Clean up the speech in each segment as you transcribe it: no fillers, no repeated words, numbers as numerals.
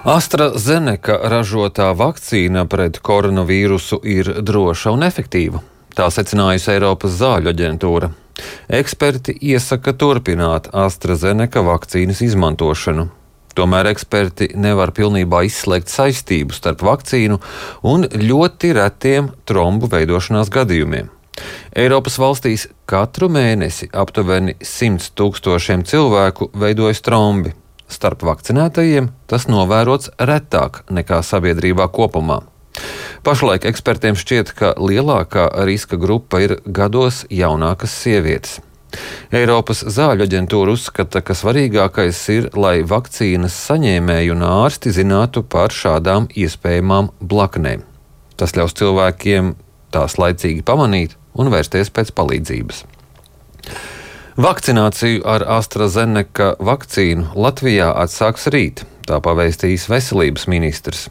AstraZeneca ražotā vakcīna pret koronavīrusu ir droša un efektīva. Tā secinājusi Eiropas zāļu aģentūra. Eksperti iesaka turpināt AstraZeneca vakcīnas izmantošanu. Tomēr eksperti nevar pilnībā izslēgt saistību starp vakcīnu un ļoti retiem trombu veidošanās gadījumiem. Eiropas valstīs katru mēnesi aptuveni 100 000 cilvēku veidojas trombi. Starp vakcinētajiem tas novērots retāk nekā sabiedrībā kopumā. Pašlaik ekspertiem šķiet, ka lielākā riska grupa ir gados jaunākas sievietes. Eiropas zāļu aģentūra uzskata, ka svarīgākais ir, lai vakcīnas saņēmēji un ārsti zinātu par šādām iespējamām blaknēm. Tas ļaus cilvēkiem tās laicīgi pamanīt un vērsties pēc palīdzības. Vakcināciju ar AstraZeneca vakcīnu Latvijā atsāks rīt, tā pavēstījis veselības ministrs.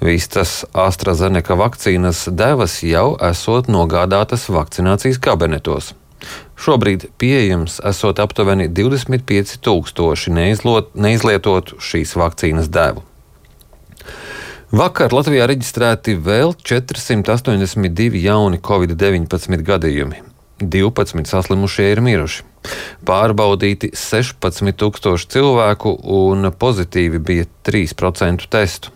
Visas AstraZeneca vakcīnas devas jau esot nogādātas vakcinācijas kabinetos. Šobrīd pieejams esot aptuveni 25 000 neizlietotu šīs vakcīnas devu. Vakar Latvijā reģistrēti vēl 482 jauni Covid-19 gadījumi. 12 saslimušie ir miruši. Pārbaudīti 16 000 cilvēku un pozitīvi bija 3% testu.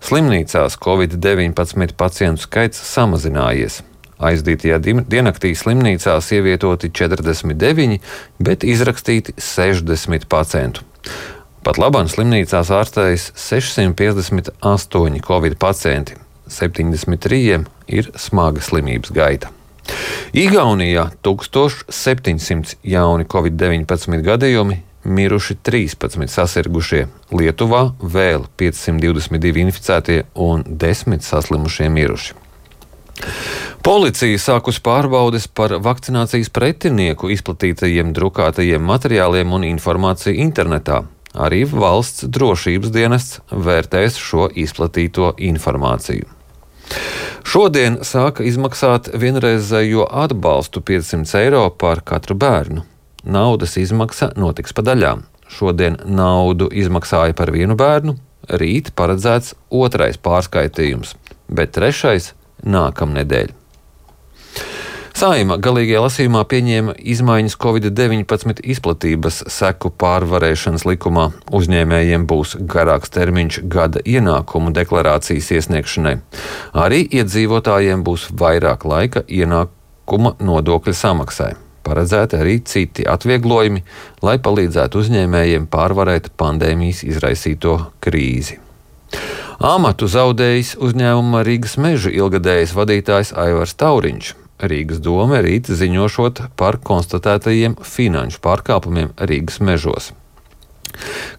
Slimnīcās Covid-19 pacientu skaits samazinājies. Aizdītajā diennaktī slimnīcās ievietoti 49, bet izrakstīti 60 pacientu. Pat labāk slimnīcās ārstējas 658 Covid pacienti, 73 ir smaga slimības gaita. Igaunijā 1700 jauni Covid-19 gadījumi, miruši 13 sasirgušie, Lietuvā vēl 522 inficētie un 10 saslimušie miruši. Policija sākus pārbaudes par vakcinācijas pretinieku izplatītajiem drukātajiem materiāliem un informāciju internetā. Arī valsts drošības dienests vērtēs šo izplatīto informāciju. Šodien sāka izmaksāt vienreizējo atbalstu 500 eiro par katru bērnu. Naudas izmaksa notiks pa daļām. Šodien naudu izmaksāja par vienu bērnu, rīt paredzēts otrais pārskaitījums, bet trešais nākamnedēļ. Saeima galīgajā lasījumā pieņēma izmaiņas Covid-19 izplatības seku pārvarēšanas likumā. Uzņēmējiem būs garāks termiņš gada ienākumu deklarācijas iesniegšanai. Arī iedzīvotājiem būs vairāk laika ienākuma nodokļa samaksai. Paredzēti arī citi atvieglojumi, lai palīdzētu uzņēmējiem pārvarēt pandēmijas izraisīto krīzi. Amatu zaudējis uzņēmuma Rīgas mežu ilgadējais vadītājs Aivars Tauriņš. Rīgas dome rīt ziņošot par konstatētajiem finanšu pārkāpumiem Rīgas mežos.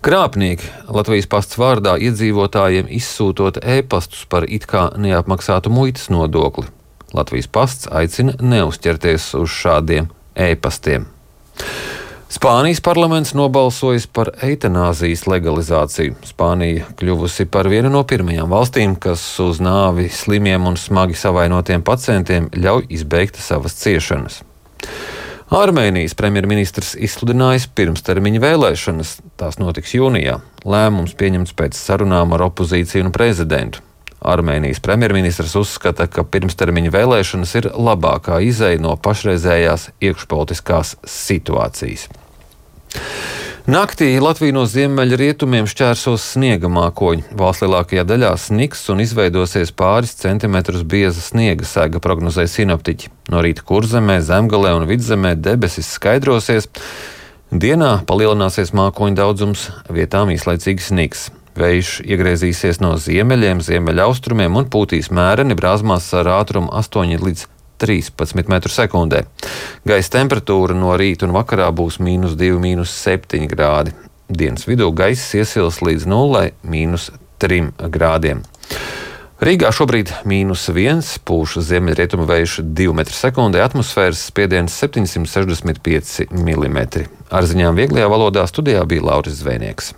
Krāpnieki Latvijas pasts vārdā iedzīvotājiem izsūtot e-pastus par it kā neapmaksātu muitas nodokli. Latvijas pasts aicina neuzķerties uz šādiem e-pastiem. Spānijas parlaments nobalsojis par eitanāzijas legalizāciju. Spānija kļuvusi par vienu no pirmajām valstīm, kas uz nāvi slimiem un smagi savainotiem pacientiem ļauj izbeigt savas ciešanas. Armēnijas premjerministrs izsludinājis pirmstermiņa vēlēšanas. Tās notiks jūnijā. Lēmums pieņemts pēc sarunām ar opozīciju un prezidentu. Armēnijas premjerministrs uzskata, ka pirmstermiņa vēlēšanas ir labākā izeja no pašreizējās iekšpolitiskās situācijas. Naktī Latviju no ziemeļrietumiem šķērsos sniega mākoņi. Valsts lielākajā daļā sniks un izveidosies pāris centimetrus bieza sniega sega, prognozē sinoptiķi. No rīta Kurzemē, Zemgalē un Vidzemē debesis skaidrosies. Dienā palielināsies mākoņu daudzums, vietām īslaicīgi sniks. Vējš iegriezīsies no ziemeļiem, ziemeļaustrumiem un pūtīs mēreni brāzmās ar ātrumu 8 līdz 13 m/s. Gaisa temperatūra no rīta un vakarā būs -2, -7 grādi. Dienas vidū gaiss iesils līdz 0, -3 grādiem. Rīgā šobrīd -1, pūš ziemeļrietumu vējš 2 m/s, atmosfēras spiediens 765 mm. Ar ziņām vieglajā valodā studijā bija Lauris Zvejnieks.